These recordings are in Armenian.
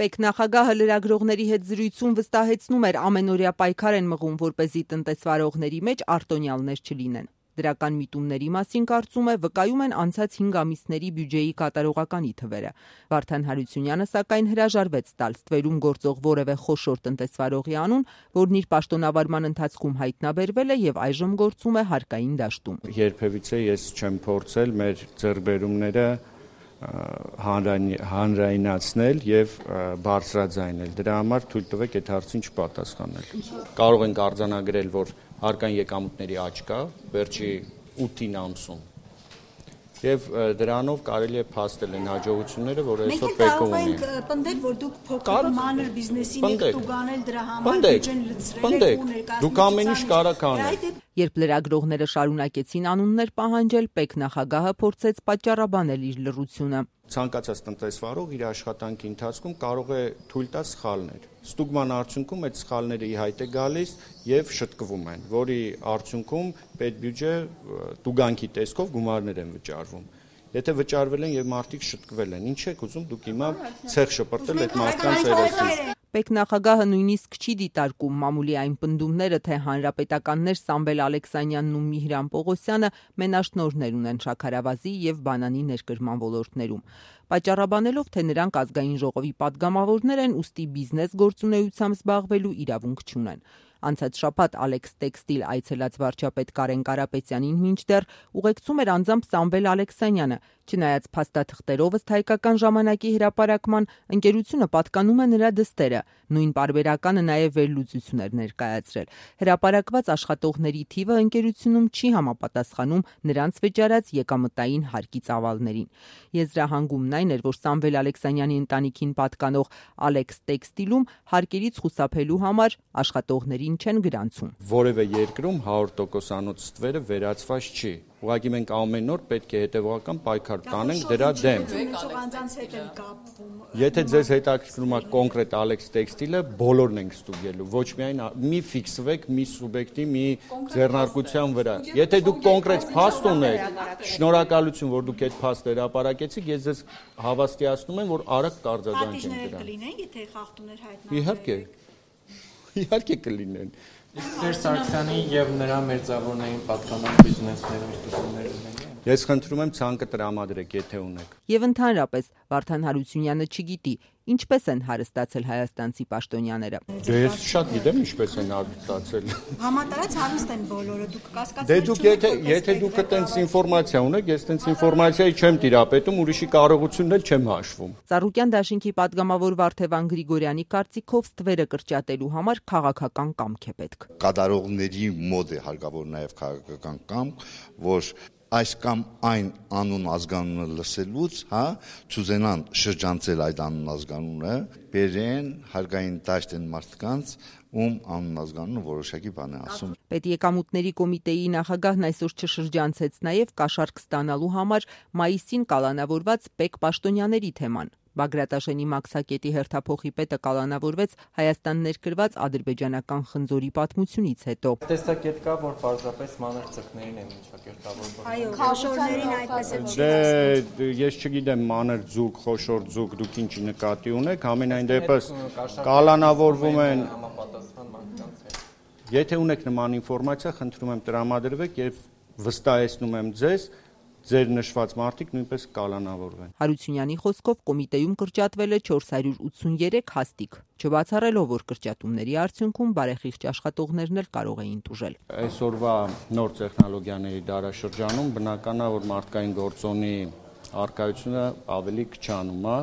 ՊԵԿ նախագահը լրագրողների հետ զրույցում վստահեցնում էր ամենօրյա պայքար են մղում, որպեսզի տնտեսվարողների մեջ արտոնյալներ չլինեն։ Դրական միտումների մասին կարծում է վկայում են անցած 5 ամիսների բյուջեի կատարողականի թվերը։ Վարդան Հարությունյանը սակայն հրաժարվեց տալ ստվերում գործող որևէ խոշոր տնտեսվարողի անուն, որն իր պաշտոնավարման ընթացքում հայտնաբերվել է եւ այժմ գործում է հարկային դաշտում։ Երբևիցե ես չեմ փորձել մեր ձեռքբերումները հանրայնացնել եւ բարձրաձայնել։ Դրա համար թույլ տվեք այդ հարցին չպատասխանել։ Կարող ենք արձանագրել, որ հարկային եկամուտների աճ կա վերջի 8 ամսում։ Եվ դրանով կարելի է փաստել այն հաջողությունները, որ այսօր ՊԵԿ-ը ունի։ Մենք կարող ենք պնդել, որ դուք փոքր մանր բիզնեսին եք տուգանել դրա համար բյուջեն լցրել եք ու ներկայացնել։ Դուք ամեն ինչ կարող անեք։ Երբ լրագրողները շարունակեցին անուններ պահանջել, ՊԵԿ նախագահը փորձեց պատճառաբանել իր լռությունը։ Ցանկացած տնտեսվարող իր աշխատանքի ընթացքում կարող է թույլ տալ սխալներ։ Ստուգման արդյունքում այդ սխալները ի հայտ է գալիս եւ շտկվում են, որի արդյունքում պետբյուջե տուգանքի տեսքով գումարներ են վճարվում։ Եթե վճարվել են եւ մարդիկ շտկվել են, ինչ եք ուզում դուք հիմա ցեղ շպրտել այդ մարդկանց երեսից։ ՊԵԿ նախագահը նույնիսկ չի դիտարկում մամուլի այն պնդումները, թե հանրապետականներ Սամվել Ալեքսանյանն ու Միհրան Պողոսյանը մենաշնորհներ ունեն շաքարավազի եւ բանանի ներկրման ոլորտներում, պատճառաբանելով, թե նրանք ազգային ժողովի падգամավորներ են, ուստի բիզնես գործունեությամբ զբաղվելու իրավունք չունեն։ Անցած շաբաթ Ալեքս Տեքստիլ այցելած վարչապետ Կարեն Կարապետյանին մինչդեռ ուղեկցում էր անձամբ Սամվել Ալեքսանյանը, չնայած փաստաթղթերով ըստ Հայկական ժամանակի հրապարակման ընկերությունը պատկանում է նրա դստերը, նույն պարբերականը նաև վերլուծություն էր ներկայացրել։ Հրապարակված աշխատողների թիվը ընկերությունում չի համապատասխանում նրանց վճարած եկամտային հարկի ծավալներին։ Եզրահանգումն այն էր, որ Սամվել Ալեքսանյանի ընտանիքին պատկանող Ալեքս Տեքստիլում հարկերից խուսափելու համար աշխատողներին չեն գրանցում։ Որևէ երկրում 100%-անոց ստվերը վերացված չի։ Ուղղակի մենք ամեն օր պետք է հետևողական պայքար տանենք դրա դեմ։ Եթե ձեզ հետաքրքրում է կոնկրետ Ալեքս Տեքստիլը, բոլորն ենք ստուգելու, ոչ միայն մի ֆիքսվեք մի սուբյեկտի մի ձեռնարկության վրա։ Եթե դուք կոնկրետ փաստ ունեք, շնորհակալություն, որ դուք այդ փաստը հրապարակեցիք, ես ձեզ հավաստիացնում եմ, որ արագ կարձագանքենք դրան։ Կլինեն, եթե խախտումներ հայտնաբերվեն։ Իհարկե կլինեն։ Սերժ Սարգսյանի եւ նրա մերձավորներին պատկանող բիզնեսներում ստուգումներ ունեն։ Ես խնդրում եմ ցանկը տրամադրեք, եթե ունեք։ Եվ ընդհանրապես Վարդան Հարությունյանը չգիտի ինչպես են հարստացել հայաստանցի պաշտոնյաները։ Ես շատ գիտեմ ինչպես են հարստացել։ Համատարած հարուստ են բոլորը, դուք կասկածներ Դե դուք եթե դուք այդպես ինֆորմացիա ունեք, ես այդպես ինֆորմացիայի չեմ տիրապետում, ուրիշի կարողությունն էլ չեմ հաշվում։ Ծառուկյան դաշինքի падգամավոր Վարդևան Գրիգորյանի կարծիքով ստվերը կրճատելու համար քաղաքական կամք է պետք։ Կատարողների մոտ է հարկավոր նաև քաղաքական կամք, որ այս կամ այն անուն ազգանունը լսելուց, չուզենան շրջանցել այդ անուն ազգանունը, բերեն հարկային դաշտ են մարդկանց, ում անուն ազգանունը որոշակի բան է ասում։ Պետեկամուտների կոմիտեի նախագահն այսօր չշրջանցեց նաև կաշառք ստանալու համար մայիսին կալանավորված ՊԵԿ պաշտոնյաների թեման։ Բագրատաշենի Մաքսակետի հերթափոխի պետը կալանավորվեց Հայաստան ներկրված ադրբեջանական խնձորի պատմությունից հետո։ Տեսակետ կա, որ պարզապես մանր ծխներին են միջակերտավորվում։ Այո, խոշորներին այդպես է։ Դե ես չգիտեմ մանր ձուկ, խոշոր ձուկ դուք ինչի նկատի ունեք, ամենայն դեպս կալանավորվում են համապատասխան մարդկանց հետ։ Եթե ունեք նման ինֆորմացիա, խնդրում եմ տրամադրվեք եւ վստահեցնում եմ ձեզ ձեր նշված մարդիկ նույնպես կալանավորվեն։ Հարությունյանի խոսքով կոմիտեում կրճատվել է 483 հաստիք, չբացառելով, որ կրճատումների արդյունքում բարեխիղճ աշխատողներն էլ կարող էին տուժել։ Այսօրվա նոր տեխնոլոգիաների դարաշրջանում բնական է, որ մարդկային գործոնի առկայությունը ավելի քչանում է։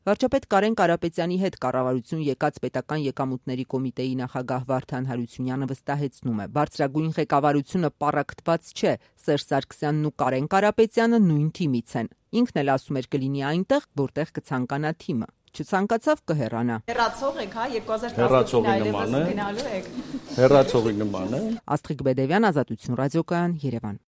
Վարչապետ Կարեն Կարապետյանի հետ կառավարություն եկած պետական եկամուտների կոմիտեի նախագահ Վարդան Հարությունյանը վստահեցնում է, բարձրագույն ղեկավարությունը պառակտված չէ, Սերժ Սարգսյանն ու Կարեն Կարապետյանը նույն թիմից են։ Ինքն էլ ասում էր կլինի այնտեղ, որտեղ կցանկանա թիմը։ Չցանկացավ կհեռանա։ Հեռացող եք, 2019-ին այլևս գնալու եք։ Հեռացողի նման է։ Աստղիկ Բեդևյան, Ազատություն ռադիոկայան, Երևան։